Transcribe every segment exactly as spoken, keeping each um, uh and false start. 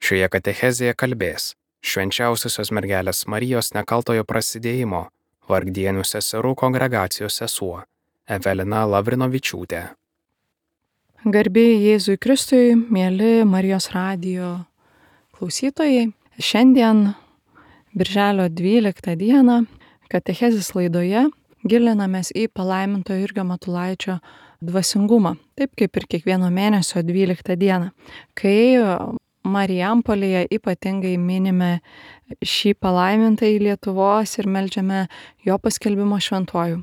Šioje katechezėje kalbės švenčiausiosios mergelės Marijos nekaltojo prasidėjimo vargdienių seserų kongregacijos sesuo Evelina Lavrinovičiūtė. Garbėjai Jėzui Kristui, mėly Marijos radijo klausytojai. Šiandien, birželio dvyliktą dieną, katechezės laidoje gilinamės į palaimintojo Jurgio Matulaičio dvasingumą, taip kaip ir kiekvieno mėnesio dvyliktą dieną, kai Marijampolėje ypatingai minime šį palaimintąjį Lietuvos ir meldžiame jo paskelbimo šventuoju.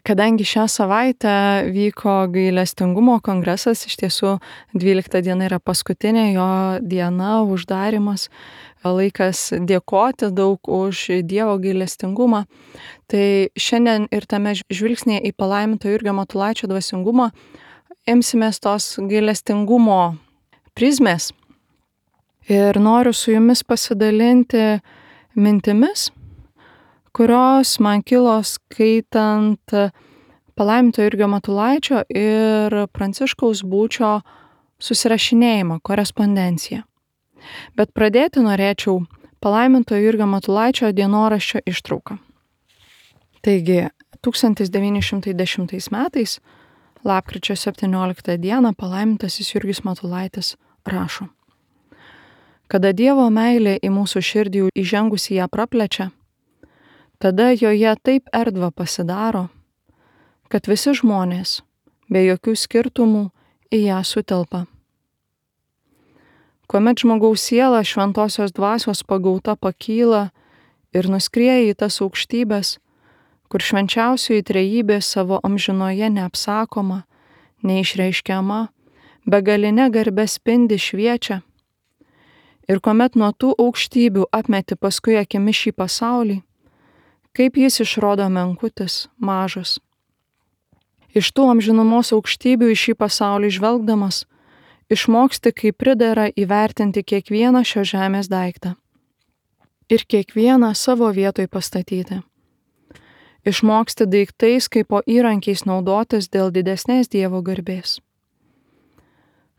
Kadangi šią savaitę vyko gailestingumo kongresas, iš tiesų dvylikta diena yra paskutinė jo diena, uždarimas, laikas dėkoti daug už Dievo gailestingumą, tai šiandien ir tame žvilgsnėje į palaimintojo Jurgio Matulaičio dvasingumą imsimės tos gailestingumo prizmės ir noriu su jumis pasidalinti mintimis, kurios man kilo skaitant palaimintojo Jurgio Matulaičio ir Pranciškaus Būčio susirašinėjimą, korespondenciją. Bet pradėti norėčiau palaimintojo Jurgio Matulaičio dienoraščio ištrauką. Taigi, tūkstantis devyni šimtai dešimtais metais, lapkričio septynioliktą dieną, palaimintasis Jurgis Matulaitis rašo: Kada Dievo meilė į mūsų širdį įžengusi ją praplečia, tada joje taip erdva pasidaro, kad visi žmonės, be jokių skirtumų, į ją sutelpa. Kuomet žmogaus siela šventosios dvasios pagauta pakyla ir nuskrieja į tas aukštybės, kur švenčiausioji trejybė savo amžinoje neapsakoma, neišreiškiama, begaline garbe spindi šviečia, ir kuomet nuo tų aukštybių apmeti paskui akimi šį pasaulį, kaip jis išrodo menkutis, mažas. Iš tų amžinumos aukštybių į šį pasaulį žvelgdamas, išmoksti, kaip pridera įvertinti kiekvieną šio žemės daiktą ir kiekvieną savo vietoj pastatyti. Išmoksti daiktais kaip po įrankiais naudotis dėl didesnės Dievo garbės.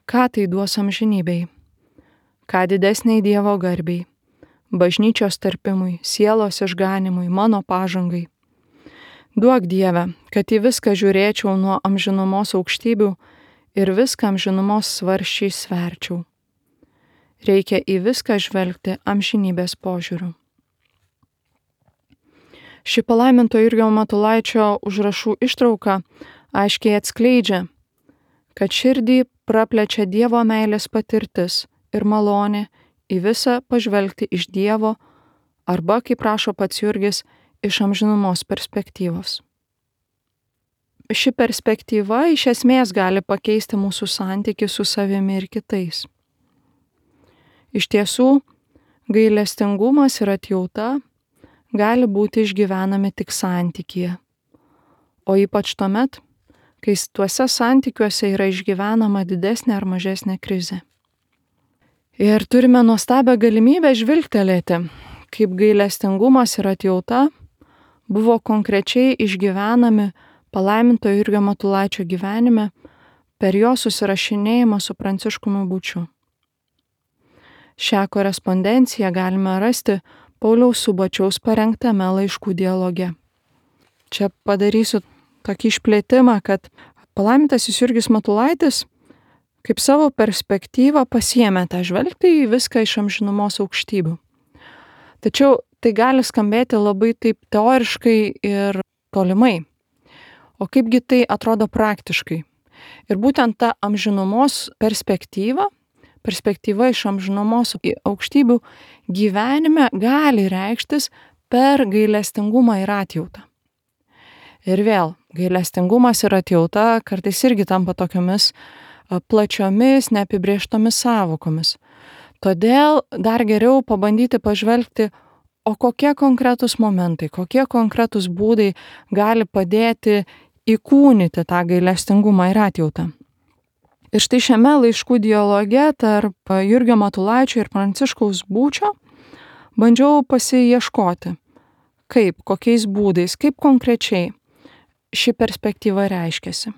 Ką tai duos amžinybei? Ką didesniai Dievo garbei, bažnyčios tarpimui, sielos išganimui, mano pažangai. Duok Dieve, kad į viską žiūrėčiau nuo amžinumos aukštybių ir viską amžinumos svarsčiai sverčiau. Reikia į viską žvelgti amžinybės požiūriu. Ši palaimintojo Jurgio Matulaičio užrašų ištrauka aiškiai atskleidžia, kad širdį praplečia Dievo meilės patirtis ir malonė į visą pažvelgti iš Dievo arba, kaip rašo pats Jurgis, iš amžinumos perspektyvos. Ši perspektyva iš esmės gali pakeisti mūsų santykį su savimi ir kitais. Iš tiesų, gailestingumas ir atjauta gali būti išgyvenami tik santykyje, o ypač tuomet, kai tuose santykiuose yra išgyvenama didesnė ar mažesnė krizė. Ir turime nuostabią galimybę žvilgtelėti, kaip gailestingumas ir atjauta buvo konkrečiai išgyvenami palaimintojo Jurgio Matulaičio gyvenime per jo susirašinėjimą su Pranciškumi Būčiu. Šią korespondenciją galime rasti Pauliaus Subačiaus parengtame laiškų dialoge. Čia padarysiu tokį išplėtimą, kad palaimintasis Jurgis Matulaitis kaip savo perspektyvą pasiėmė tą žvelgti į viską iš amžinumos aukštybių. Tačiau tai gali skambėti labai taip teoriškai ir tolimai. O kaipgi tai atrodo praktiškai? Ir būtent ta amžinumos perspektyva, perspektyva iš amžinumos aukštybių gyvenime gali reikštis per gailestingumą ir atjautą. Ir vėl, gailestingumas ir atjauta kartais irgi tampa tokiomis plačiomis, neapibrėžtomis sąvokomis. Todėl dar geriau pabandyti pažvelgti, o kokie konkretūs momentai, kokie konkretūs būdai gali padėti įkūnyti tą gailestingumą ir atjautą. Ir štai šiame laiškų dialoge tarp Jurgio Matulaičio ir Pranciškaus Būčio bandžiau pasiieškoti, kaip, kokiais būdais, kaip konkrečiai ši perspektyva reiškiasi.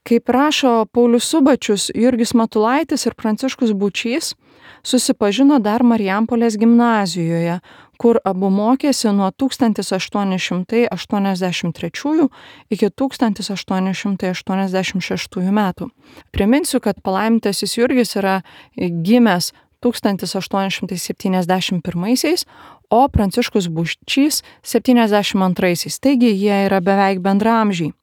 Kaip rašo Paulius Subačius, Jurgis Matulaitis ir Pranciškus Būčys susipažino dar Marijampolės gimnazijoje, kur abu mokėsi nuo tūkstantis aštuoni šimtai aštuoniasdešimt trečiųjų iki tūkstantis aštuoni šimtai aštuoniasdešimt šeštųjų metų. Priminsiu, kad palaimintasis Jurgis yra gimęs tūkstantis aštuoni šimtai septyniasdešimt pirmaisiais, o Pranciškus Būčys septyniasdešimt antraisiais, taigi jie yra beveik bendraamžiai.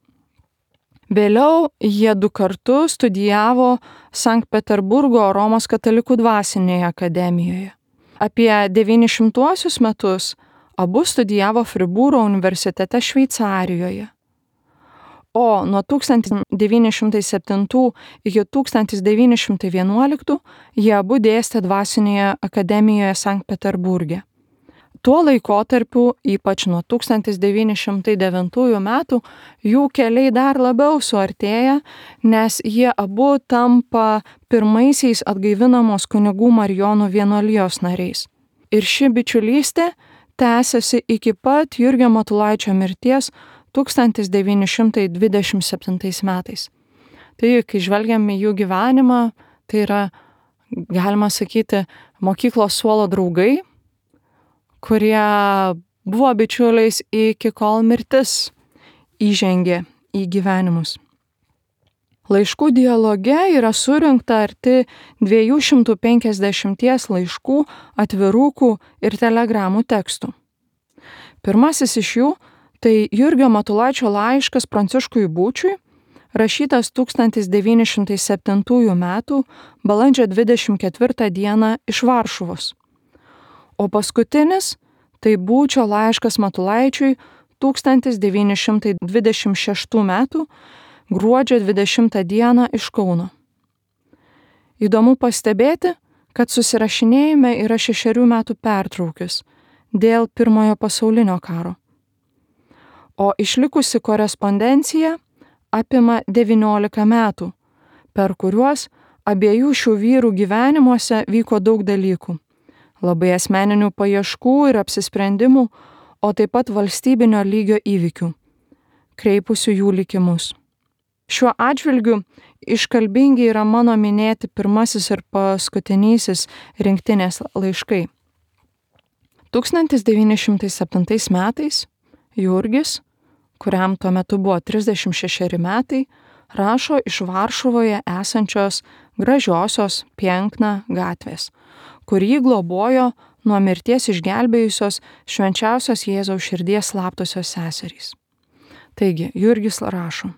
Vėliau jie du kartu studijavo Sankt Peterburgo Romos katalikų dvasinėje akademijoje. Apie devynišimtuosius metus abu studijavo Fribūro universitete Šveicarijoje. O nuo tūkstantis devyni šimtai septintų iki tūkstantis devyni šimtai vienuoliktų jie abu dėstė dvasinėje akademijoje Sankt Peterburge. Tuo laikotarpiu, ypač nuo tūkstantis devyni šimtai devintųjų metų, jų keliai dar labiau suartėja, nes jie abu tampa pirmaisiais atgaivinamos kunigų Marijonų vienuolijos nariais. Ir ši bičiulystė tęsiasi iki pat Jurgio Matulaičio mirties tūkstantis devyni šimtai dvidešimt septintais metais. Tai, kai žvelgiam į jų gyvenimą, tai yra, galima sakyti, mokyklos suolo draugai, kurie buvo bičiuliais iki kol mirtis įžengė į gyvenimus. Laiškų dialoge yra surinkta arti dviejų šimtų penkiasdešimties laiškų, atvirukų ir telegramų tekstų. Pirmasis iš jų tai Jurgio Matulaičio laiškas Pranciškui Būčiui, rašytas tūkstantis devyni šimtai septintųjų metų balandžio dvidešimt ketvirtą dieną iš Varšuvos. O paskutinis tai Būčio laiškas Matulaičiui tūkstantis devyni šimtai dvidešimt šeštų metų gruodžio dvidešimtą dieną iš Kauno. Įdomu pastebėti, kad susirašinėjime yra šešerių metų pertraukis dėl Pirmojo pasaulinio karo. O išlikusi korespondencija apima devyniolika metų, per kuriuos abiejų šių vyrų gyvenimuose vyko daug dalykų. Labai asmeninių paieškų ir apsisprendimų, o taip pat valstybinio lygio įvykių, kreipusių jų likimus. Šiuo atžvilgiu iškalbingi yra mano minėti pirmasis ir paskutinysis rinktinės laiškai. tūkstantis devyni šimtai septintais metais Jurgis, kuriam tuo metu buvo trisdešimt šešeri metai, rašo iš Varšuvoje esančios gražiosios Piękna gatvės, kur jį globojo nuo mirties išgelbėjusios švenčiausios Jėzaus širdies slaptosios seserys. Taigi, Jurgis rašo: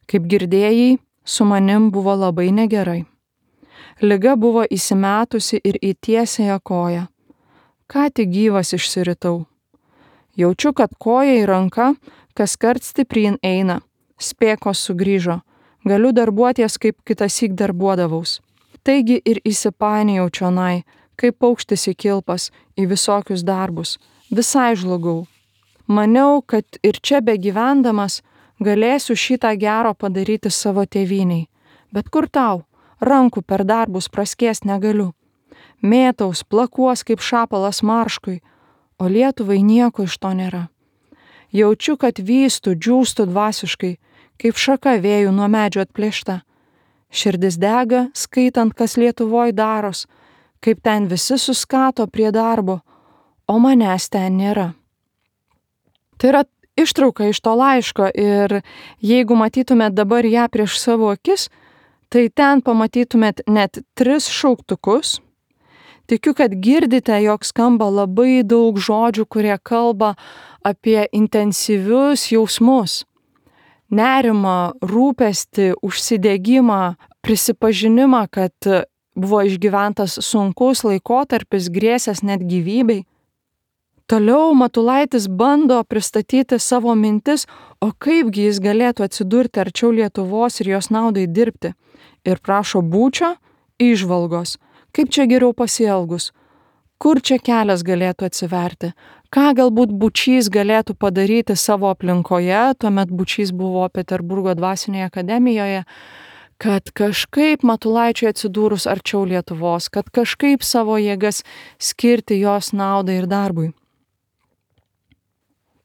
Kaip girdėjai, su manim buvo labai negerai. Liga buvo įsimetusi ir į tiesiąją koją. Ką tik gyvas išsiritau. Jaučiu, kad koja į ranką kaskart stipryn eina. Spėkos sugrįžo. Galiu darbuoties, kaip kitasyk darbuodavaus. Taigi ir įsipainėjau čionai, kaip paukštis į kilpas, į visokius darbus. Visai žlugau. Maniau, kad ir čia begyvendamas galėsiu šitą gero padaryti savo tėvyniai. Bet kur tau? Rankų per darbus praskies negaliu. Mėtaus, plakuos kaip šapalas marškui, o Lietuvai nieko iš to nėra. Jaučiu, kad vystu, džiūstu dvasiškai, kaip šaka vėjų nuo medžio atplėšta. Širdis dega, skaitant, kas Lietuvoj daros, kaip ten visi suskato prie darbo, o manęs ten nėra. Tai yra ištrauka iš to laiško ir jeigu matytumėt dabar ją prieš savo akis, tai ten pamatytumėt net tris šauktukus. Tikiu, kad girdite, jog skamba labai daug žodžių, kurie kalba apie intensyvius jausmus. Nerimą, rūpestį, užsidegimą, prisipažinimą, kad buvo išgyventas sunkus laikotarpis, grėsęs net gyvybei. Toliau Matulaitis bando pristatyti savo mintis, o kaipgi jis galėtų atsidurti arčiau Lietuvos ir jos naudai dirbti. Ir prašo Būčio įžvalgos, kaip čia geriau pasielgus, kur čia kelias galėtų atsiverti, ką galbūt Būčys galėtų padaryti savo aplinkoje, tuomet Būčys buvo Peterburgo dvasinėje akademijoje, kad kažkaip Matulaičiui atsidūrus arčiau Lietuvos, kad kažkaip savo jėgas skirti jos naudai ir darbui.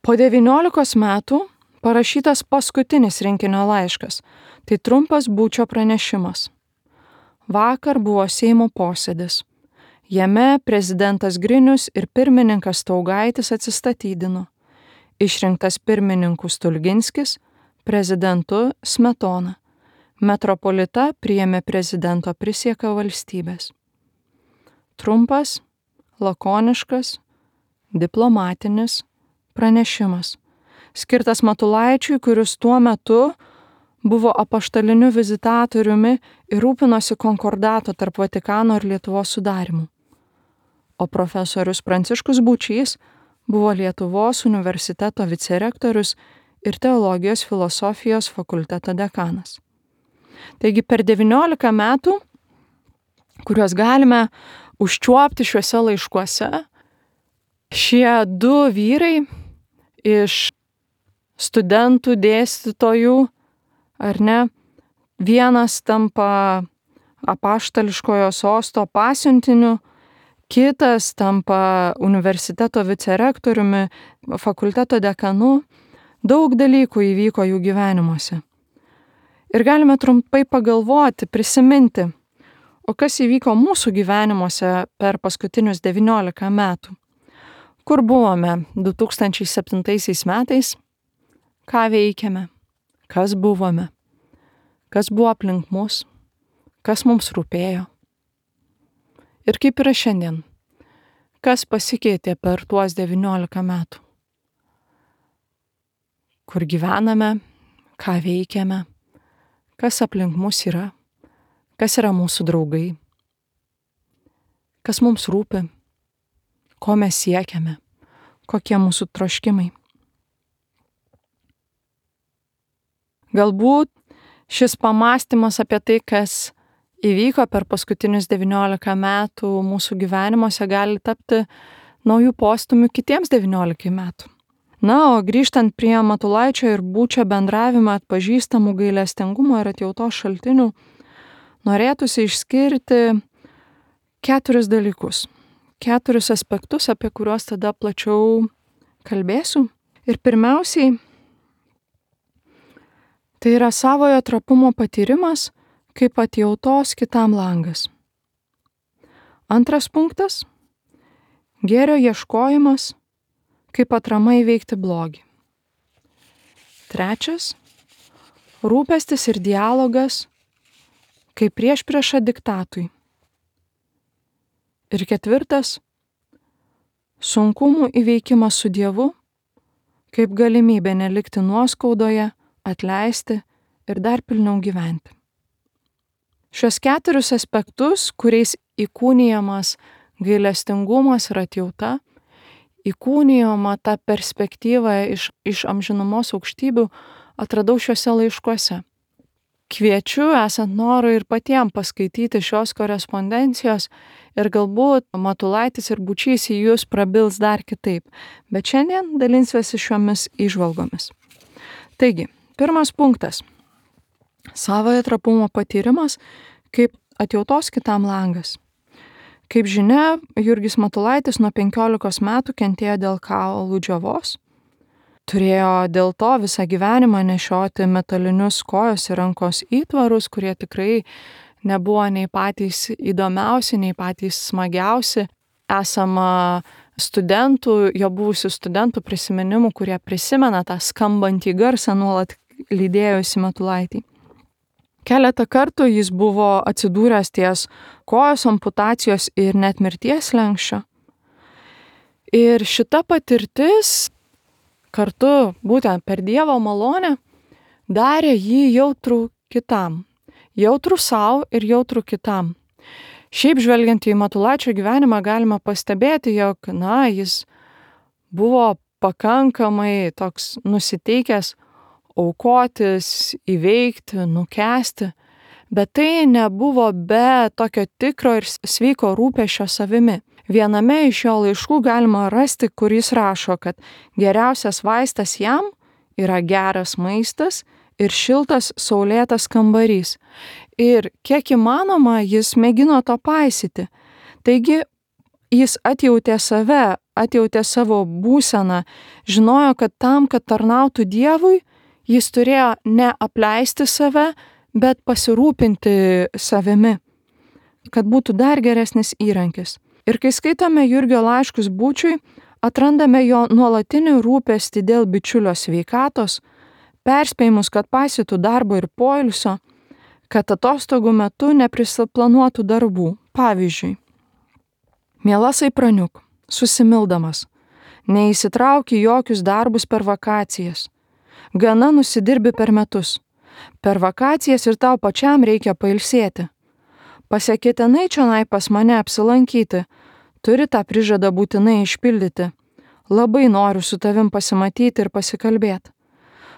Po devyniolikos metų parašytas paskutinis rinkinio laiškas. Tai trumpas Būčio pranešimas. Vakar buvo Seimo posėdis. Jame prezidentas Grinius ir pirmininkas Staugaitis atsistatydino. Išrinktas pirmininku Stulginskis, prezidentu Smetona. Metropolita priėmė prezidento prisieką valstybės. Trumpas, lakoniškas, diplomatinis pranešimas, skirtas Matulaičiui, kuris tuo metu buvo apaštaliniu vizitatoriumi ir rūpinosi konkordato tarp Vatikano ir Lietuvos sudarimu. O profesorius Pranciškus Būčys buvo Lietuvos universiteto vicerektorius ir teologijos filosofijos fakulteto dekanas. Taigi per devyniolika metų, kuriuos galime užčiuopti šiuose laiškuose, šie du vyrai iš studentų, dėstytojų, ar ne, vienas tampa apaštališkojo sosto pasiuntiniu, kitas tampa universiteto vicerektoriumi, fakulteto dekanu, daug dalykų įvyko jų gyvenimuose. Ir galime trumpai pagalvoti, prisiminti, o kas įvyko mūsų gyvenimuose per paskutinius devyniolika metų. Kur buvome du tūkstančiai septintaisiais metais, ką veikėme, kas buvome, kas buvo aplink mus, kas mums rūpėjo. Ir kaip yra šiandien, kas pasikeitė per tuos devyniolika metų. Kur gyvename, ką veikiame, kas aplink mus yra, kas yra mūsų draugai, kas mums rūpi, ko mes siekiame, kokie mūsų troškimai. Galbūt šis pamąstymas apie tai, kas įvyko per paskutinius devyniolika metų mūsų gyvenimuose, gali tapti naujų postumių kitiems devyniolikai metų. Na, o grįžtant prie Matulaičio ir Būčio bendravimą atpažįstamų gailestingumo ir atjautos šaltinių, norėtųsi išskirti keturis dalykus, keturis aspektus, apie kuriuos tada plačiau kalbėsiu. Ir pirmiausiai, tai yra savojo trapumo patyrimas kaip atjautos kitam langas. Antras punktas – gėrio ieškojimas kaip atrama įveikti blogį. Trečias – rūpestis ir dialogas kaip priešprieša diktatui. Ir ketvirtas – sunkumų įveikimas su Dievu kaip galimybė nelikti nuoskaudoje, atleisti ir dar pilniau gyventi. Šios keturis aspektus, kuriais įkūnijamas gailestingumas ir atjauta, įkūnijama ta perspektyva iš, iš amžinumos aukštybių, atradau šiuose laiškuose. Kviečiu, esant norui, ir patiem paskaityti šios korespondencijos ir galbūt Matulaitis ir Būčys į jūs prabils dar kitaip, bet šiandien dalinsiuosi šiomis įžvalgomis. Taigi, pirmas punktas – savojo trapumo patyrimas kaip atjautos kitam langas. Kaip žinia, Jurgis Matulaitis nuo penkiolikos metų kentėjo dėl kaulų džiovos. Turėjo dėl to visą gyvenimą nešioti metalinius kojos ir rankos įtvarus, kurie tikrai nebuvo nei patys įdomiausi, nei patys smagiausi. Esama studentų, jo buvusių studentų prisiminimų, kurie prisimena tą skambantį garsą nuolat lydėjusi Matulaitį. Keletą kartų jis buvo atsidūręs ties kojos amputacijos ir net mirties slenksčio. Ir šita patirtis kartu būtent per Dievo malonę darė jį jautrų kitam. Jautrų savo ir jautrų kitam. Šiaip žvelgiant į Matulaičio gyvenimą galima pastebėti, jog, na, jis buvo pakankamai toks nusiteikęs aukotis, įveikti, nukęsti, bet tai nebuvo be tokio tikro ir sveiko rūpesčio savimi. Viename iš jo laiškų galima rasti, kur jis rašo, kad geriausias vaistas jam yra geras maistas ir šiltas saulėtas kambarys. Ir kiek įmanoma, jis mėgino to paisyti. Taigi, jis atjautė save, atjautė savo būseną, žinojo, kad tam, kad tarnautų Dievui, Jis turėjo ne apleisti save, bet pasirūpinti savimi, kad būtų dar geresnis įrankis. Ir kai skaitome Jurgio laiškus Būčiui, atrandame jo nuolatinį rūpestį dėl bičiulio sveikatos, perspėjimus, kad paisytų darbo ir poilsio, kad atostogų metu neprisiplanuotų darbų. Pavyzdžiui, mielasai praniuk, susimildamas, neįsitrauki jokius darbus per vakacijas, gana nusidirbi per metus, per vakacijas ir tau pačiam reikia pailsėti. Pasiekitinai čionai pas mane apsilankyti, turi tą prižadą būtinai išpildyti. Labai noriu su tavim pasimatyti ir pasikalbėti.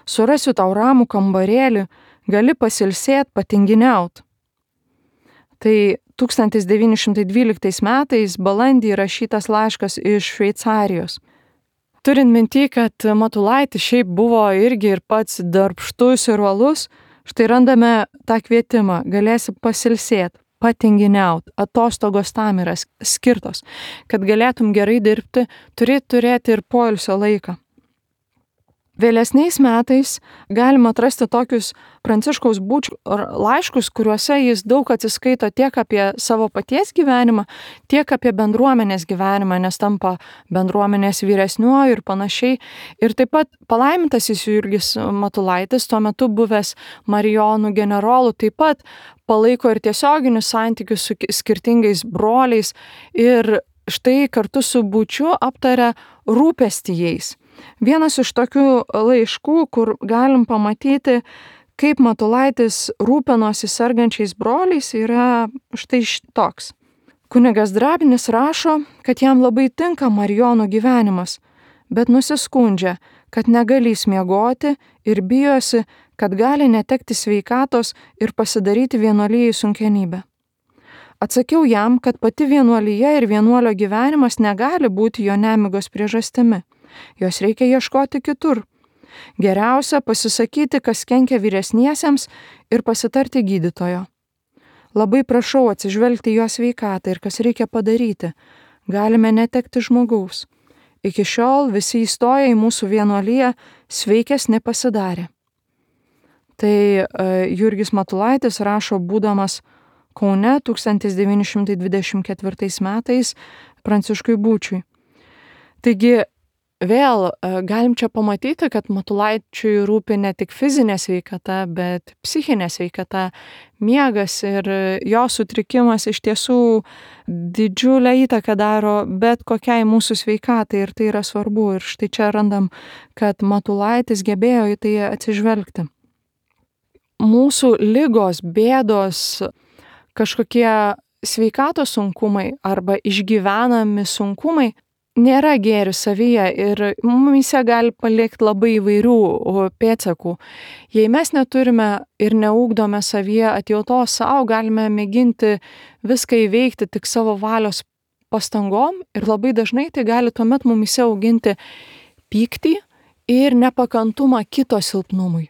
Surasiu tau ramų kambarėlį, gali pasilsėt, patinginiaut. Tai tūkstantis devyni šimtai dvyliktais metais balandį rašytas laiškas iš Šveicarijos. Turint minty, kad Matulaitis šiaip buvo irgi ir pats darbštus ir uolus, štai randame tą kvietimą, galėsi pasilsėt, patinginiaut, atostogos tam yra skirtos, kad galėtum gerai dirbti, turi turėti ir poilsio laiką. Vėlesniais metais galima atrasti tokius Pranciškaus Būčio laiškus, kuriuose jis daug atsiskaito tiek apie savo paties gyvenimą, tiek apie bendruomenės gyvenimą, nes tampa bendruomenės vyresniuoju ir panašiai. Ir taip pat palaimintasis Jurgis Matulaitis, tuo metu buvęs Marijonų generolų, taip pat palaiko ir tiesioginius santykius su skirtingais broliais ir štai kartu su Būčiu aptaria rūpestį jais. Vienas iš tokių laiškų, kur galim pamatyti, kaip Matulaitis rūpinosi sergančiais broliais, yra štai toks. Kunigas Drabinis rašo, kad jam labai tinka Marijonų gyvenimas, bet nusiskundžia, kad negalės miegoti ir bijosi, kad gali netekti sveikatos ir pasidaryti vienuolijai sunkenybę. Atsakiau jam, kad pati vienuolija ir vienuolio gyvenimas negali būti jo nemigos priežastimi. Jos reikia ieškoti kitur. Geriausia pasisakyti, kas kenkia vyresniesiems ir pasitarti gydytojo. Labai prašau atsižvelgti jo sveikatą ir kas reikia padaryti. Galime netekti žmogaus. Iki šiol visi įstoję į mūsų vienuoliją sveikesni pasidarė. Tai uh, Jurgis Matulaitis rašo būdamas Kaune tūkstantis devyni šimtai dvidešimt ketvirtais metais Pranciškui Būčiui. Taigi vėl galim čia pamatyti, kad Matulaičiui rūpi ne tik fizinė sveikata, bet psichinė sveikata, miegas ir jo sutrikimas iš tiesų didžiulę įtaką daro bet kokiai mūsų sveikatai ir tai yra svarbu. Ir štai čia randam, kad Matulaitis gebėjo į tai atsižvelgti. Mūsų ligos, bėdos, kažkokie sveikatos sunkumai arba išgyvenami sunkumai nėra gėris savyje ir mumise gali palikti labai įvairių pėdsakų. Jei mes neturime ir neugdome savyje atjautos savo, galime mėginti viską įveikti tik savo valios pastangom ir labai dažnai tai gali tuomet mumise auginti pyktį ir nepakantumą kito silpnumui.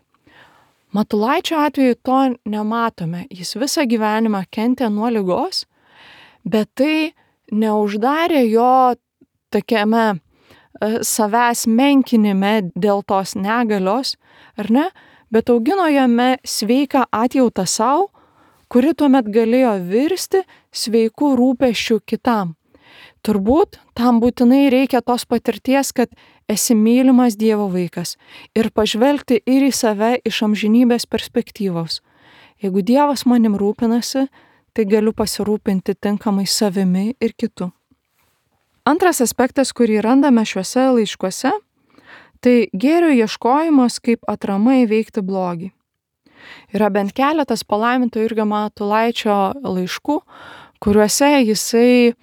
Matulaičio atveju to nematome. Jis visą gyvenimą kentė nuo ligos, bet tai neuždarė jo tokiame savęs menkinime dėl tos negalios, ar ne, bet augino jame sveiką atjautą savo, kuri tuomet galėjo virsti sveikų rūpesčių kitam. Turbūt tam būtinai reikia tos patirties, kad esi mylimas Dievo vaikas ir pažvelgti ir į save iš amžinybės perspektyvos. Jeigu Dievas manim rūpinasi, tai galiu pasirūpinti tinkamai savimi ir kitu. Antras aspektas, kurį randame šiuose laiškuose, tai gėrio ieškojimas kaip atrama įveikti blogį. Yra bent keletas palaiminto Jurgio Matulaičio laiškų, kuriuose jisai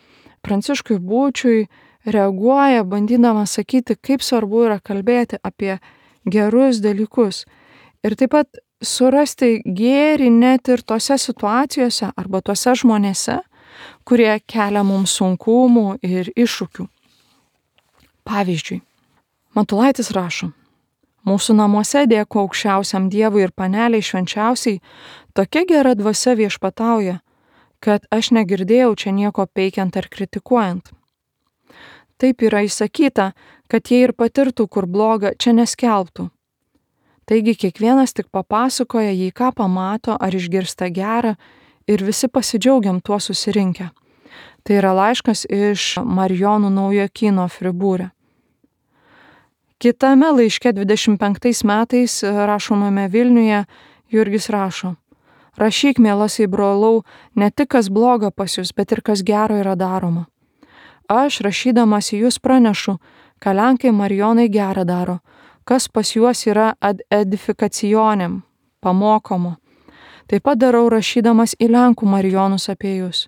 Pranciškui Būčiui reaguoja, bandydamas sakyti, kaip svarbu yra kalbėti apie gerus dalykus. Ir taip pat surasti gėrį net ir tose situacijose arba tose žmonėse, kurie kelia mums sunkumų ir iššūkių. Pavyzdžiui, Matulaitis rašo, mūsų namuose dėko aukščiausiam Dievui ir paneliai švenčiausiai, tokia gera dvasia viešpatauja, kad aš negirdėjau čia nieko peikiant ar kritikuojant. Taip yra įsakyta, kad jie ir patirtų, kur bloga, čia neskelbtų. Taigi kiekvienas tik papasakoja, jei ką pamato ar išgirsta gerą ir visi pasidžiaugiam tuo susirinkę. Tai yra laiškas iš Marijonų Naujokyno Fribūre. Kitame laiške dvidešimt penktais metais rašomame Vilniuje Jurgis rašo: Rašyk, mielasai brolau, ne tik kas bloga pas jūs, bet ir kas gero yra daroma. Aš, rašydamas į jūs, pranešu, ką Lenkai Marijonai gerą daro, kas pas juos yra ad edifikacionėm, pamokomo. Taip pat darau rašydamas į Lenkų Marijonus apie jūs.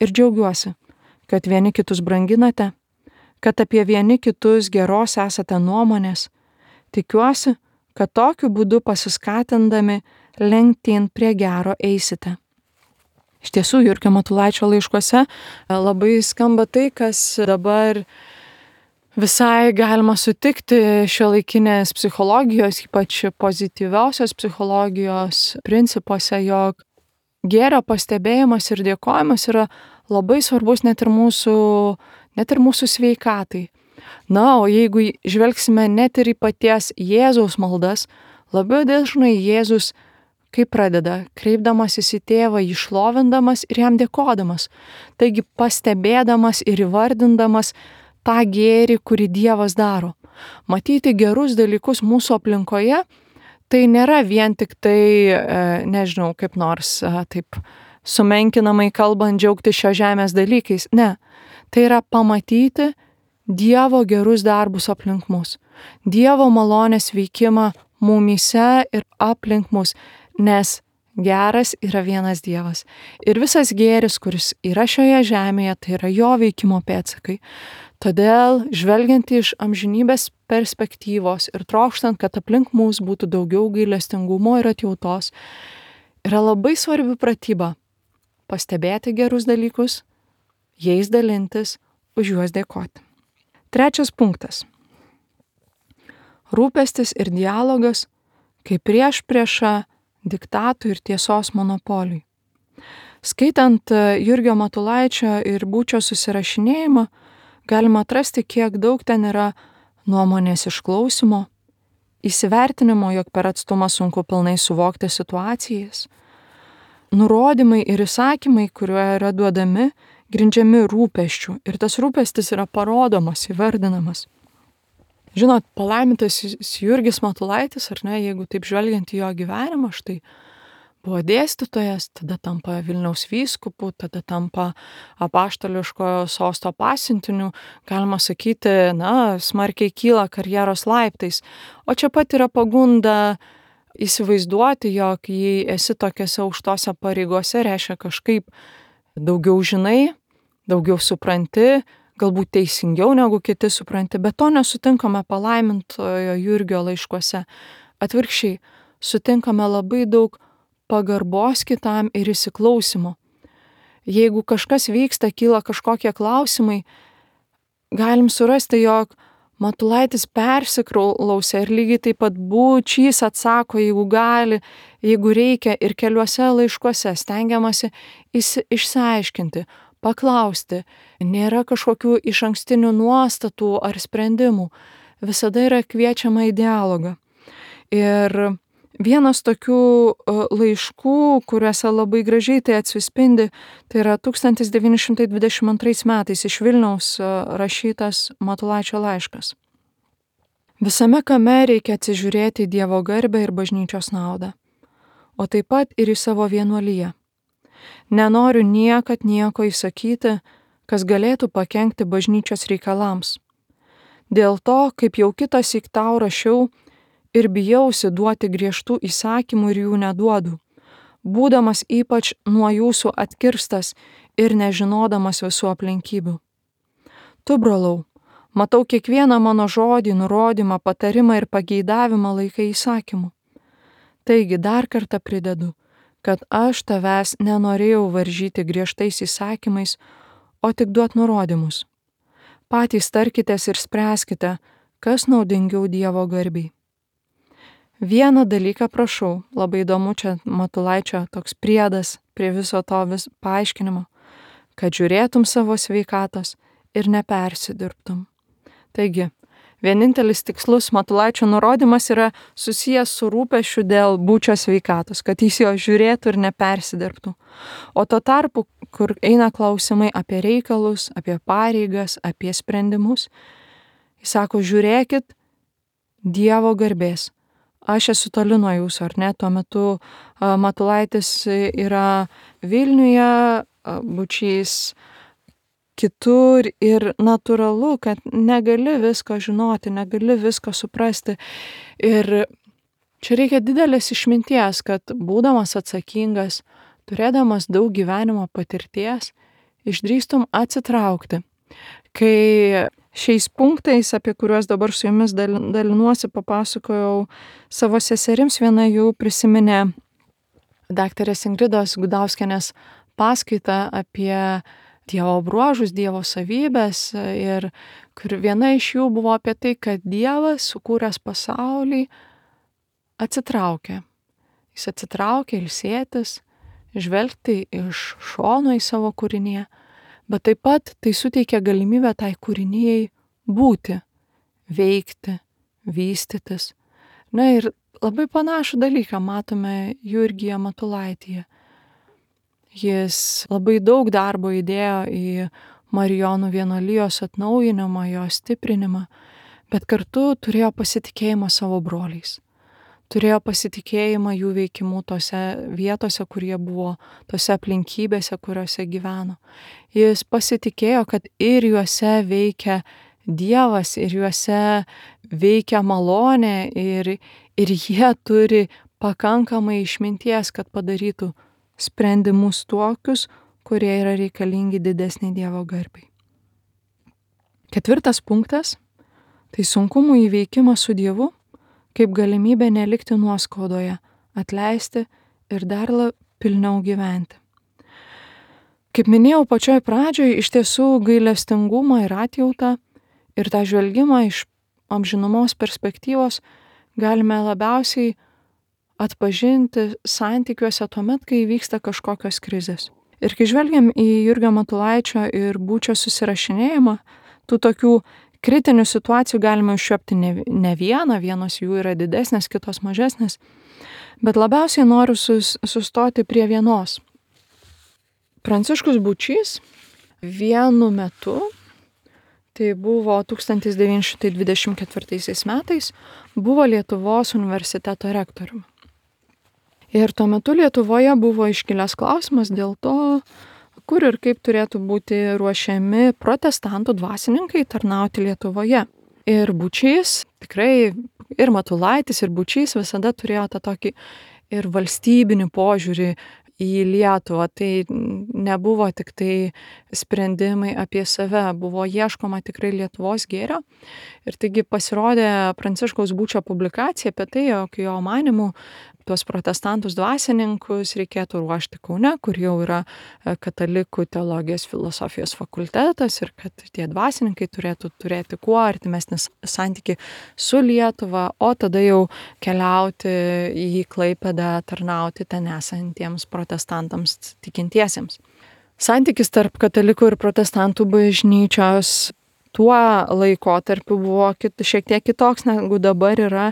Ir džiaugiuosi, kad vieni kitus branginate, kad apie vieni kitus geros esate nuomonės. Tikiuosi, kad tokiu būdu pasiskatindami lenktyn prie gero eisite. Iš tiesų, Jurgio Matulaičio laiškuose labai skamba tai, kas dabar visai galima sutikti šiuolaikinės psichologijos, ypač pozityviosios psichologijos principuose, jog gėrio pastebėjimas ir dėkojimas yra labai svarbus net ir mūsų, net ir mūsų sveikatai. Na, o jeigu žvelgsime net ir į paties Jėzaus maldas, labai dažnai Jėzus kaip pradeda, kreipdamasis į tėvą, jį šlovindamas ir jam dėkodamas. Taigi pastebėdamas ir įvardindamas tą gėrį, kurį Dievas daro. Matyti gerus dalykus mūsų aplinkoje, tai nėra vien tik tai, nežinau, kaip nors taip sumenkinamai kalbant džiaugti šio žemės dalykais. Ne, tai yra pamatyti Dievo gerus darbus aplink mus. Dievo malonės veikimą mumyse ir aplink mus. Nes geras yra vienas Dievas. Ir visas gėris, kuris yra šioje žemėje, tai yra jo veikimo pėdsakai. Todėl, žvelgiant iš amžinybės perspektyvos ir trokštant, kad aplink mus būtų daugiau gailestingumo ir atjautos, yra labai svarbi pratyba pastebėti gerus dalykus, jais dalintis, už juos dėkoti. Trečias punktas. Rūpestis ir dialogas kaip priešprieša diktatui ir tiesos monopoliui. Skaitant Jurgio Matulaičio ir Būčio susirašinėjimą, galima atrasti, kiek daug ten yra nuomonės išklausimo, įsivertinimo, jog per atstumą sunku pilnai suvokti situacijas, nurodymai ir įsakymai, kurie yra duodami, grindžiami rūpesčių, ir tas rūpestis yra parodomas, įvardinamas. Žinot, palaimintas Jurgis Matulaitis, ar ne, jeigu taip žvelgiant į jo gyvenimą, štai buvo dėstytojas, tada tampa Vilniaus vyskupu, tada tampa apaštališkojo sosto pasiuntiniu, galima sakyti, na, smarkiai kyla karjeros laiptais. O čia pat yra pagunda įsivaizduoti, jog jei esi tokiose aukštose pareigose, reiškia kažkaip daugiau žinai, daugiau supranti, galbūt teisingiau negu kiti supranti, bet to nesutinkame palaimintojo Jurgio laiškuose. Atvirkščiai, sutinkame labai daug pagarbos kitam ir įsiklausimo. Jeigu kažkas vyksta, kyla kažkokie klausimai, galim surasti, jog Matulaitis persiklausė ir lygiai taip pat Būčys atsako, jeigu gali, jeigu reikia, ir keliuose laiškuose stengiamasi išsiaiškinti, paklausti, nėra kažkokių išankstinių nuostatų ar sprendimų, visada yra kviečiama į dialogą. Ir vienas tokių laiškų, kuriuose labai gražiai tai atsispindi, tai yra tūkstantis devyni šimtai dvidešimt antrais metais iš Vilniaus rašytas Matulaičio laiškas. Visame kame reikia atsižiūrėti į Dievo garbę ir bažnyčios naudą, o taip pat ir į savo vienuoliją. Nenoriu niekad nieko įsakyti, kas galėtų pakenkti bažnyčios reikalams. Dėl to, kaip jau kitąsyk tau rašiau, ir bijausi duoti griežtų įsakymų ir jų neduodu, būdamas ypač nuo jūsų atkirstas ir nežinodamas visų aplinkybių. Tu, brolau, matau kiekvieną mano žodį, nurodymą, patarimą ir pageidavimą laikai įsakymu. Taigi dar kartą pridedu, kad aš tavęs nenorėjau varžyti griežtais įsakymais, o tik duot nurodymus. Patys tarkitės ir spręskite, kas naudingiau Dievo garbiai. Vieną dalyką prašau, labai įdomu čia Matulaičio toks priedas prie viso to vis paaiškinimo, kad žiūrėtum savo sveikatos ir nepersidirbtum. Taigi, vienintelis tikslus Matulaičio nurodymas yra susijęs su rūpesčiu dėl Bučio sveikatos, kad jis jo žiūrėtų ir nepersidirbtų. O tuo tarpu, kur eina klausimai apie reikalus, apie pareigas, apie sprendimus, jis sako, žiūrėkit Dievo garbės. Aš esu toli nuo jūsų, ar ne? Tuo metu Matulaitis yra Vilniuje, Bučys kitur ir natūralu, kad negali visko žinoti, negali visko suprasti. Ir čia reikia didelės išminties, kad būdamas atsakingas, turėdamas daug gyvenimo patirties, išdrįstum atsitraukti. Kai šiais punktais, apie kuriuos dabar su jumis dalinuosi, papasakojau savo seserims, viena jų prisiminė daktarės Ingridos Gudauskienės paskaitą apie Dievo bruožus, Dievo savybės ir kur viena iš jų buvo apie tai, kad Dievas, sukūręs pasaulį, atsitraukė. Jis atsitraukė ilsėtis, žvelgti iš šono į savo kūrinį, bet taip pat tai suteikia galimybę tai kūrinijai būti, veikti, vystytis. Na ir labai panašų dalyką matome Jurgyje Matulaityje. Jis labai daug darbo įdėjo į Marijonų vienuolijos atnaujinimą, jo stiprinimą, bet kartu turėjo pasitikėjimą savo broliais. Turėjo pasitikėjimą jų veikimu tose vietose, kur jie buvo, tose aplinkybėse, kuriuose gyveno. Jis pasitikėjo, kad ir juose veikia Dievas, ir juose veikia malonė, ir, ir jie turi pakankamai išminties, kad padarytų sprendimus tokius, kurie yra reikalingi didesnei Dievo garbai. Ketvirtas punktas – tai sunkumų įveikimas su Dievu, kaip galimybė nelikti nuoskaudoje, atleisti ir dar pilniau gyventi. Kaip minėjau pačioj pradžioj, iš tiesų gailestingumą ir atjautą ir tą žvelgimą iš amžinumos perspektyvos galime labiausiai atpažinti santykiuose tuomet, kai vyksta kažkokios krizės. Ir kai žvelgiam į Jurgio Matulaičio ir Bučio susirašinėjimą, tų tokių kritinių situacijų galime užčiuopti ne, ne vieną, vienos jų yra didesnės, kitos mažesnės, bet labiausiai noriu sus, sustoti prie vienos. Pranciškus Bučys vienu metu, tai buvo tūkstantis devyni šimtai dvidešimt ketvirtaisiais metais, buvo Lietuvos universiteto rektoriumi. Ir tuo metu Lietuvoje buvo iškilęs klausimas dėl to, kur ir kaip turėtų būti ruošiami protestantų dvasininkai tarnauti Lietuvoje. Ir Bučys, tikrai ir Matulaitis, ir Bučys visada turėjo tą tokį ir valstybinį požiūrį į Lietuvą. Tai nebuvo tik tai sprendimai apie save, buvo ieškoma tikrai Lietuvos gėrio. Ir taigi pasirodė Pranciškaus Bučio publikacija apie tai, jog jo manymu tuos protestantus dvasininkus reikėtų ruošti Kaune, kur jau yra katalikų teologijos filosofijos fakultetas ir kad tie dvasininkai turėtų turėti kuo artimesnį santykį su Lietuva, o tada jau keliauti į Klaipėdą, tarnauti ten esantiems protestantams tikintiesiems. Santykis tarp katalikų ir protestantų bažnyčios tuo laikotarpiu buvo kit, šiek tiek kitoks negu dabar yra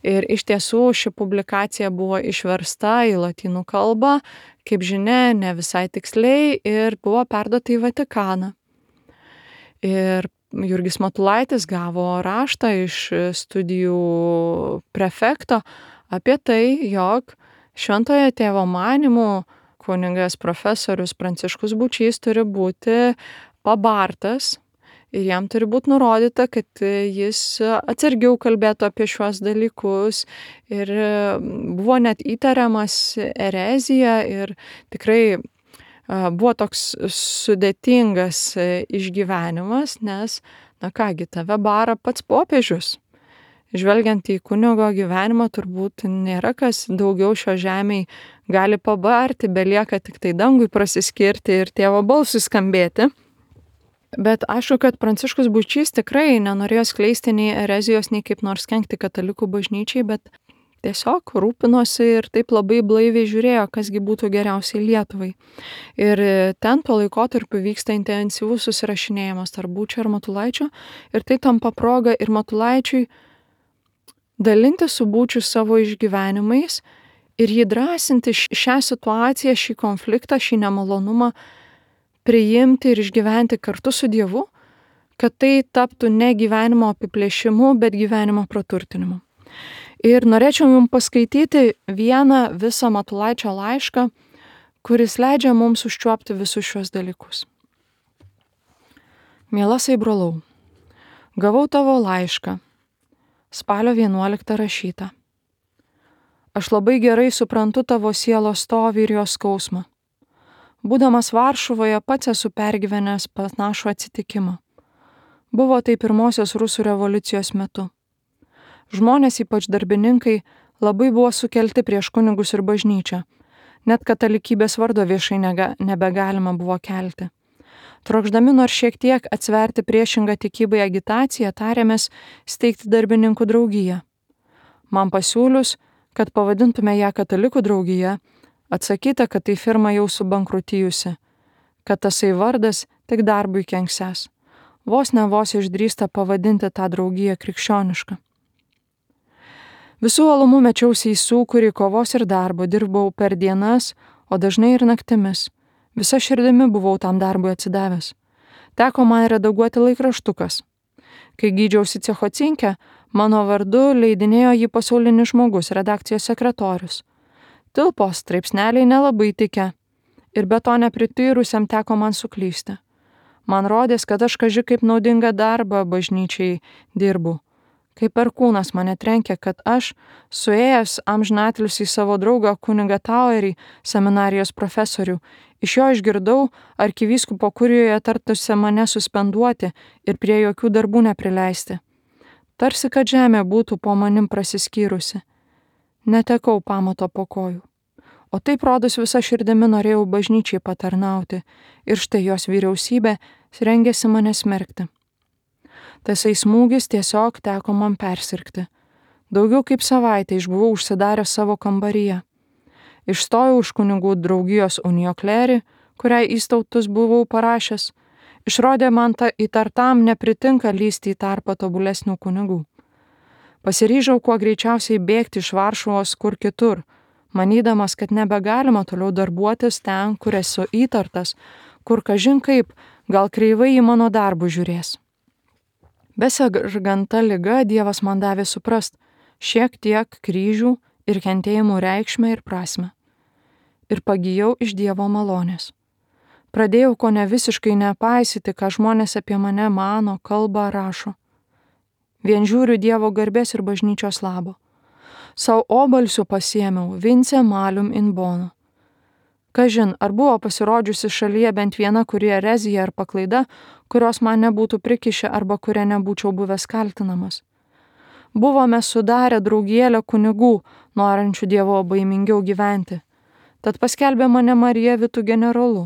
ir iš tiesų ši publikacija buvo išversta į lotynų kalbą, kaip žinia, ne visai tiksliai ir buvo perduota į Vatikaną. Ir Jurgis Matulaitis gavo raštą iš studijų prefekto apie tai, jog Šventojo Tėvo manymu kunigas profesorius Pranciškus Bučys turi būti pabartas. Ir jam turi būti nurodyta, kad jis atsargiau kalbėtų apie šiuos dalykus ir buvo net įtariamas erezija ir tikrai buvo toks sudėtingas išgyvenimas, nes, na kągi, tave bara pats popiežius. Žvelgiant į kunigo gyvenimą, turbūt nėra kas daugiau šio žemėj gali pabarti, belieka tik tai dangui prasiskirti ir tėvo balsui skambėti. Bet aišku, kad Pranciškus Bučys tikrai nenorėjo skleisti nei erezijos, nei kaip nors kenkti katalikų bažnyčiai, bet tiesiog rūpinosi ir taip labai blaiviai žiūrėjo, kasgi būtų geriausiai Lietuvai. Ir ten tuo laikotarpiu vyksta intensyvus susirašinėjimas tarp Būčio ir Matulaičio ir tai tampa proga ir Matulaičiui dalinti su Būčiu savo išgyvenimais ir jį drąsinti šią situaciją, šį konfliktą, šį nemalonumą priimti ir išgyventi kartu su Dievu, kad tai taptų ne gyvenimo apiplėšimu, bet gyvenimo praturtinimu. Ir norėčiau jums paskaityti vieną visą Matulaičio laišką, kuris leidžia mums užčiuopti visus šios dalykus. Mielasai brolau, gavau tavo laišką, spalio vienuoliktą rašytą. Aš labai gerai suprantu tavo sielos stovį ir jos skausmą. Būdamas Varšuvoje pats esu pergyvenęs panašų atsitikimą. Buvo tai pirmosios rusų revoliucijos metu. Žmonės, ypač darbininkai, labai buvo sukelti prieš kunigus ir bažnyčią. Net katalikybės vardo viešai nega, nebegalima buvo kelti. Trokšdami nors šiek tiek atsverti priešingą tikybai agitaciją, tarėmės steigti darbininkų draugiją. Man pasiūlius, kad pavadintume ją katalikų draugija, atsakyta, kad tai firma jau subankrutijusi, kad tasai vardas tik darbui kenksęs. Vos ne vos išdrįsta pavadinti tą draugiją krikščionišką. Visų alumų mečiausi į sūkurį kovos ir darbo, dirbau per dienas, o dažnai ir naktimis. Visa širdimi buvau tam darbui atsidavęs. Teko man redaguoti laikraštukas. Kai gydžiausi Cechocinke, mano vardu leidinėjo jį Pasaulinis žmogus, redakcijos sekretorius. Tilpo straipsneliai nelabai tikę ir be to neprityrusiam teko man suklysti. Man rodės, kad aš kaži kaip naudingą darbą bažnyčiai dirbu. Kaip perkūnas mane trenkė, kad aš, suėjęs amžinatilsį į savo draugą kunigą Tauerį, seminarijos profesorių, iš jo išgirdau arkivyskupo kurijoje tartusi mane suspenduoti ir prie jokių darbų neprileisti. Tarsi, kad žemė būtų po manim prasiskyrusi. Netekau pamato po kojų. O taip rodos visa širdimi norėjau bažnyčiai patarnauti ir štai jos vyriausybė rengėsi mane smerkti. Tasai smūgis tiesiog teko man persirgti. Daugiau kaip savaitę išbuvau užsidaręs savo kambaryje. Išstojau iš kunigų draugijos unioklerį, kuriai įstautus buvau parašęs. Išrodė man ta įtartam nepritinka lysti į tarpą tobulesnių kunigų. Pasiryžau kuo greičiausiai bėgti iš Varšuvos kur kitur, manydamas, kad nebegalima toliau darbuotis ten, kur esu įtartas, kur kažin kaip, gal kreivai į mano darbų žiūrės. Beserganta liga Dievas man davė suprast šiek tiek kryžių ir kentėjimų reikšmę ir prasmę. Ir pagijau iš Dievo malonės. Pradėjau ko ne visiškai nepaisyti, ką žmonės apie mane mano, kalba, rašo. Vien žiūriu Dievo garbės ir bažnyčios labo. Sau obalsių pasiėmiau vince malum in bono. Kažin, ar buvo pasirodžiusi šalyje bent viena kuri erezija ar paklaida, kurios man nebūtų prikišę arba kuria nebūčiau buvęs kaltinamas. Buvome sudarę draugėlę kunigų, norinčių Dievo baimingiau gyventi. Tad paskelbė mane Marija Vitų generolu.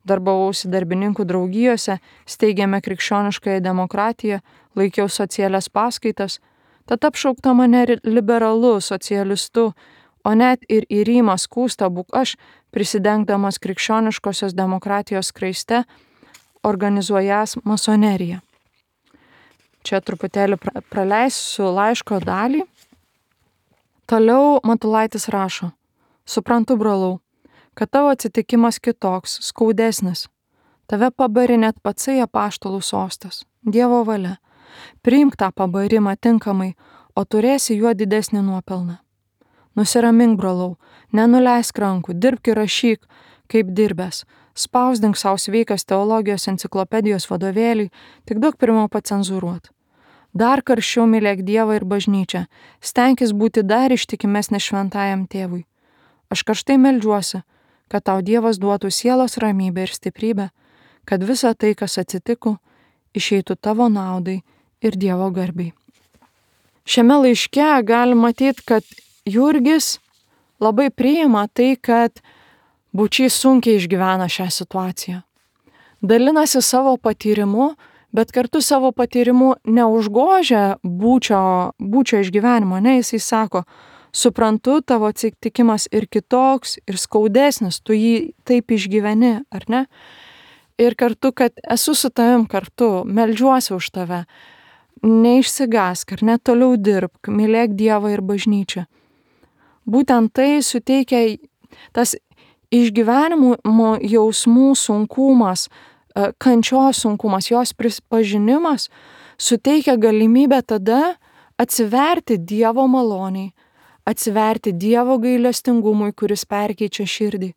Darbavausi darbininkų draugijose, steigėme krikščioniškąją demokratiją, laikiau socialias paskaitas, tad apšaukta mane liberalu, socialistu, o net ir į Rymą skūsta būk aš, prisidengdamas krikščioniškosios demokratijos skraiste, organizuojas masoneriją. Čia truputėlį praleisiu laiško dalį. Toliau Matulaitis rašo: suprantu, brolau, kad tavo atsitikimas kitoks, skaudesnis. Tave pabarė net patsai apaštalų sostas, Dievo valia. Priimk tą pabarimą tinkamai, o turėsi juo didesnį nuopelną. Nusiramink, brolau, nenuleisk rankų, dirbk ir rašyk, kaip dirbęs. Spausdink savo sveikas teologijos enciklopedijos vadovėlį, tik duok pirmiau pacenzūruot. Dar karščiau mylėk Dievą ir bažnyčią, stenkis būti dar ištikimesnis šventajam tėvui. Aš karštai meldžiuosi, kad tau Dievas duotų sielos ramybę ir stiprybę, kad visa tai, kas atsitiko, išeitų tavo naudai ir Dievo garbiai. Šiame laiške galima matyti, kad Jurgis labai priima tai, kad Būčys sunkiai išgyvena šią situaciją. Dalinasi savo patyrimu, bet kartu savo patyrimu neužgožia būčio, būčio išgyvenimo. Ne, jisai sako, Suprantu, tavo atsitikimas ir kitoks, ir skaudesnis, tu jį taip išgyveni, ar ne? Ir kartu, kad esu su tavim kartu, meldžiuosi už tave, neišsigąsk, ar ne, toliau dirbk, mylėk Dievą ir bažnyčią. Būtent tai suteikia tas išgyvenimo jausmų sunkumas, kančios sunkumas, jos pripažinimas, suteikia galimybę tada atsiverti Dievo maloniai, atsiverti Dievo gailestingumui, kuris perkeičia širdį.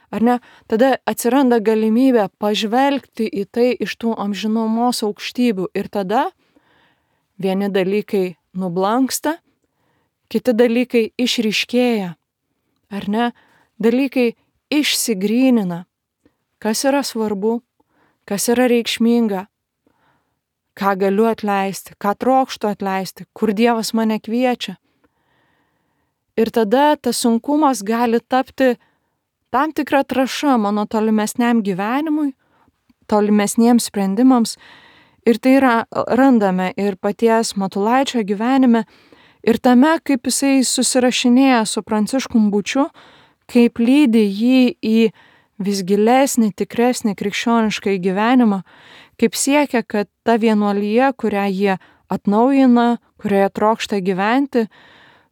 Ar ne? Tada atsiranda galimybė pažvelgti į tai iš tų amžinumos aukštybių ir tada vieni dalykai nublanksta, kiti dalykai išryškėja, ar ne? Dalykai išsigrynina, kas yra svarbu, kas yra reikšminga, ką galiu atleisti, ką trokštu atleisti, kur Dievas mane kviečia. Ir tada tas sunkumas gali tapti tam tikra trąša mano tolimesniam gyvenimui, tolimesniems sprendimams. Ir tai yra, randame ir paties Matulaičio gyvenime, ir tame, kaip jisai susirašinėja su Pranciškum Bučiu, kaip lydi jį į vis gilesnį, tikresnį krikščionišką gyvenimą, kaip siekia, kad ta vienuolija, kurią jie atnaujina, kurioje trokšta gyventi,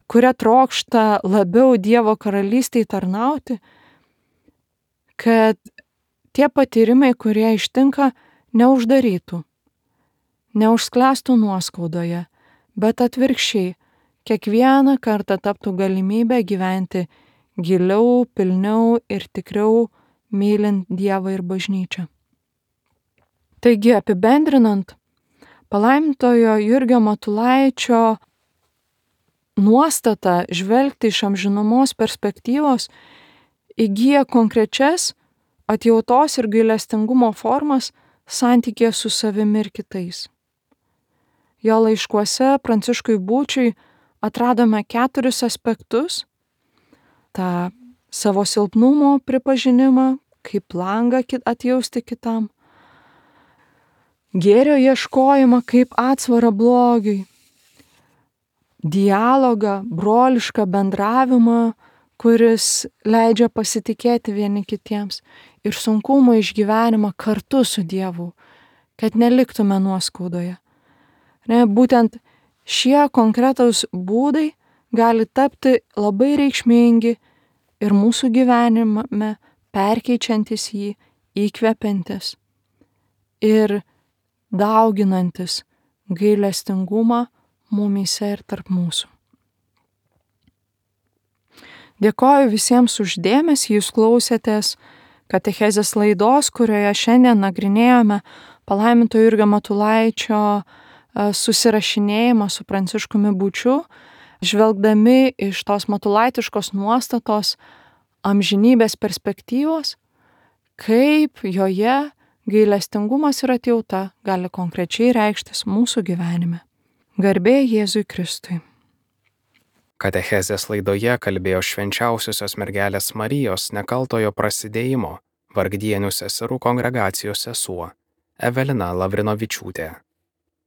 kuria trokšta labiau Dievo karalystėje tarnauti, kad tie patyrimai, kurie ištinka, neuždarytų, neužsklęstų nuoskaudoje, bet atvirkščiai, kiekvieną kartą taptų galimybę gyventi giliau, pilniau ir tikriau mylint Dievą ir bažnyčią. Taigi, apibendrinant, palaimintojo Jurgio Matulaičio nuostata žvelgti iš amžinumos perspektyvos įgyja konkrečias atjautos ir gailestingumo formas santykėje su savimi ir kitais. Jo laiškuose Pranciškui Bučiui atradome keturis aspektus: tą savo silpnumo pripažinimą, kaip langą atjausti kitam, gėrio ieškojimą kaip atsvarą blogiui, dialogą, brolišką bendravimą, kuris leidžia pasitikėti vieni kitiems, ir sunkumo išgyvenimą kartu su Dievu, kad neliktume nuoskaudoje. Ne, būtent šie konkretaus būdai gali tapti labai reikšmingi ir mūsų gyvenime perkeičiantis jį, įkvepiantis ir dauginantis gailestingumą mumyse ir tarp mūsų. Dėkoju visiems už dėmesį, jūs klausėtės katechezės laidos, kurioje šiandien nagrinėjome palaiminto Jurgio Matulaičio susirašinėjimą su Pranciškumi Bučiu, žvelgdami iš tos matulaitiškos nuostatos amžinybės perspektyvos, kaip joje gailestingumas ir atjauta gali konkrečiai reikštis mūsų gyvenime. Garbė Jėzui Kristui. Katechezės laidoje kalbėjo Švenčiausiosios mergelės Marijos nekaltojo prasidėjimo Vargdienių seserų kongregacijos sesuo Evelina Lavrinovičiūtė.